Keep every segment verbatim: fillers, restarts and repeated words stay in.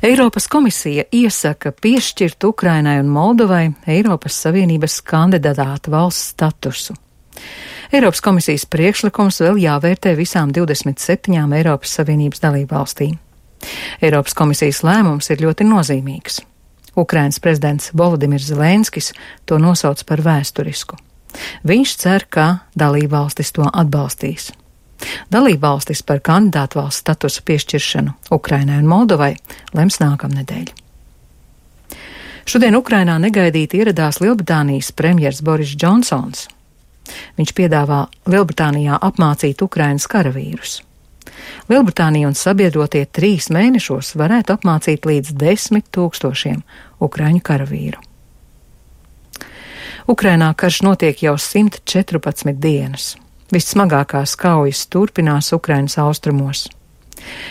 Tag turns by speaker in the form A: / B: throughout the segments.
A: Eiropas komisija iesaka piešķirt Ukrainai un Moldovai Eiropas Savienības kandidāta valsts statusu. Eiropas komisijas priekšlikums vēl jāvērtē visām divdesmit septiņām Eiropas Savienības dalībvalstīm. Eiropas komisijas lēmums ir ļoti nozīmīgs. Ukrainas prezidents Volodimirs Zelenskis to nosauc par vēsturisku. Viņš cer, ka dalībvalstis to atbalstīs. Dalībvalstis par kandidātu valsts statusa piešķiršanu Ukrainai un Moldovai lems nākamnedēļ. Šodien Ukrainā negaidīti ieradās Lielbritānijas premjers Boris Džonsons. Viņš piedāvā Lielbritānijā apmācīt Ukrainas karavīrus. Lielbritānija un sabiedrotie trīs mēnešos varētu apmācīt līdz desmit tūkstošiem ukraiņu karavīru. Ukrainā karš notiek jau simt četrpadsmit dienas. Vissmagākās kaujas turpinās Ukrainas austrumos.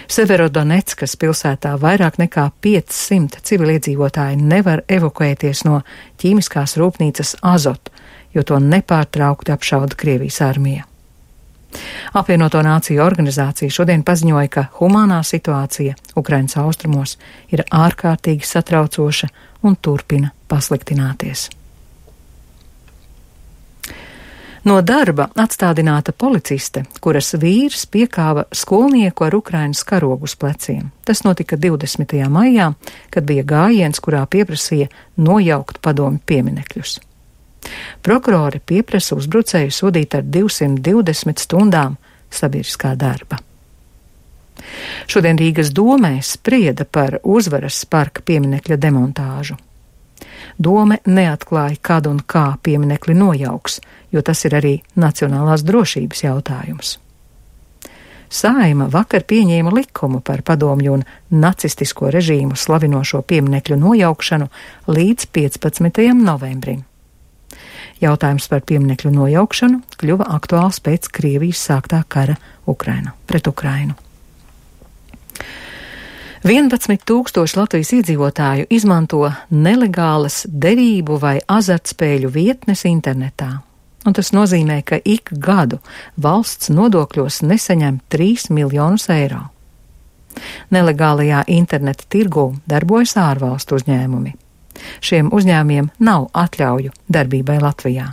A: Severodoneckas pilsētā vairāk nekā piecsimt civiliedzīvotāji nevar evakuēties no ķīmiskās rūpnīcas Azot, jo to nepārtraukti apšauda Krievijas armija. Apvienoto Nāciju organizācija šodien paziņoja, ka humānā situācija Ukrainas austrumos ir ārkārtīgi satraucoša un turpina pasliktināties. No darba atstādināta policiste, kuras vīrs piekāva skolnieku ar Ukrainas karogu uz pleciem. Tas notika divdesmitajā maijā, kad bija gājiens, kurā pieprasīja nojaukt padomju pieminekļus. Prokurori pieprasa uzbrucēju sodīt ar divsimt divdesmit stundām sabiedriskā darba. Šodien Rīgas domē sprieda par Uzvaras parka pieminekļa demontāžu. Dome neatklāja, kad un kā pieminekli nojauks, jo tas ir arī nacionālās drošības jautājums. Saeima vakar pieņēma likumu par padomju un nacistisko režīmu slavinošo pieminekļu nojaukšanu līdz piecpadsmitajam novembrim. Jautājums par pieminekļu nojaukšanu kļuva aktuāls pēc Krievijas sāktā kara Ukraina pret Ukrainu. vienpadsmit tūkstoši Latvijas iedzīvotāju izmanto nelegālas derību vai azartspēļu vietnes internetā. Un tas nozīmē, ka ik gadu valsts nodokļos nesaņem trīs miljonus eiro. Nelegālajā interneta tirgū darbojas ārvalstu uzņēmumi. Šiem uzņēmumiem nav atļauju darbībai Latvijā.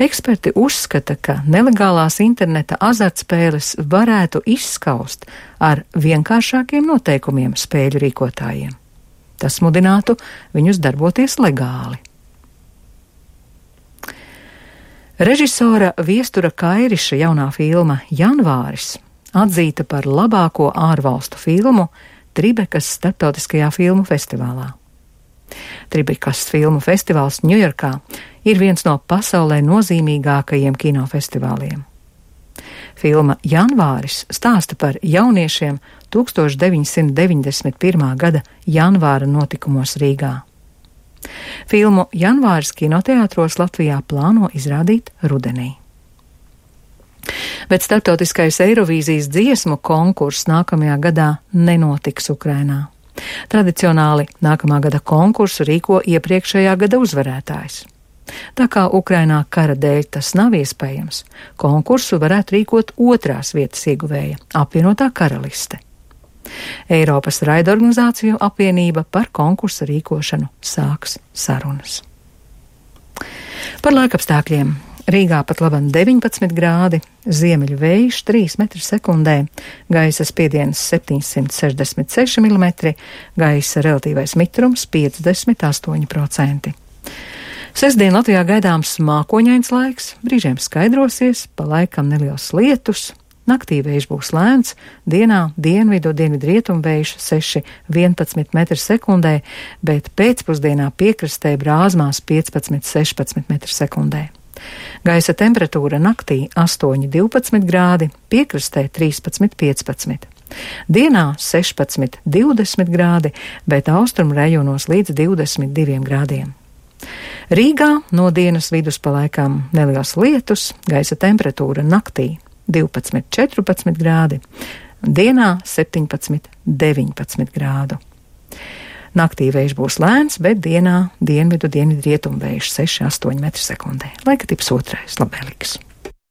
A: Eksperti uzskata, ka nelegālās interneta azartspēles varētu izskaust ar vienkāršākiem noteikumiem spēļu rīkotājiem. Tas mudinātu viņus darboties legāli. Režisora Viestura Kairiša jaunā filma Janvāris atzīta par labāko ārvalstu filmu Tribekas starptautiskajā filmu festivālā. Tribekas filmu festivāls Ņujorkā ir viens no pasaulē nozīmīgākajiem kinofestivāliem. Filma Janvāris stāsta par jauniešiem tūkstoš deviņsimt deviņdesmit pirmā gada janvāra notikumos Rīgā. Filmu Janvāris kinoteātros Latvijā plāno izrādīt rudenī. Bet starptautiskais Eirovīzijas dziesmu konkurss nākamajā gadā nenotiks Ukrainā. Tradicionāli nākamā gada konkursu rīko iepriekšējā gada uzvarētājs. Tā kā Ukrainā kara dēļ tas nav iespējams, konkursu varētu rīkot otrās vietas ieguvēja - apvienotā karaliste. Eiropas raidorganizāciju apvienība par konkursa rīkošanu sāks sarunas. Par laikapstākļiem. Rīgā pat laban deviņpadsmit grādi, ziemeļu vējš trīs metri sekundē, gaisa spiediens septiņsimt sešdesmit seši milimetri, gaisa relatīvais mitrums piecdesmit astoņi procenti. Sestdien Latvijā gaidāms mākoņains laiks, brīžiem skaidrosies, pa laikam neliels lietus, naktī vējš būs lēns, dienā dienvidu, dienvidu rietumu vējš seši vienpadsmit metri sekundē, bet pēcpusdienā piekrastē brāzmās piecpadsmit sešpadsmit metri sekundē. Gaisa temperatūra naktī astoņi divpadsmit grādi, piekrastē trīspadsmit piecpadsmit. Dienā sešpadsmit divdesmit grādi, bet austrumu rajonos līdz divdesmit diviem grādiem. Rīgā no dienas vidus pa laikam neliels lietus, gaisa temperatūra naktī divpadsmit četrpadsmit grādi, dienā septiņpadsmit deviņpadsmit grādu. Naktī vējš būs lēns, bet dienā dienvidu dienvidu rietumu vējš seši astoņi metri sekundē. Laika tips otrais, labvēlīgs.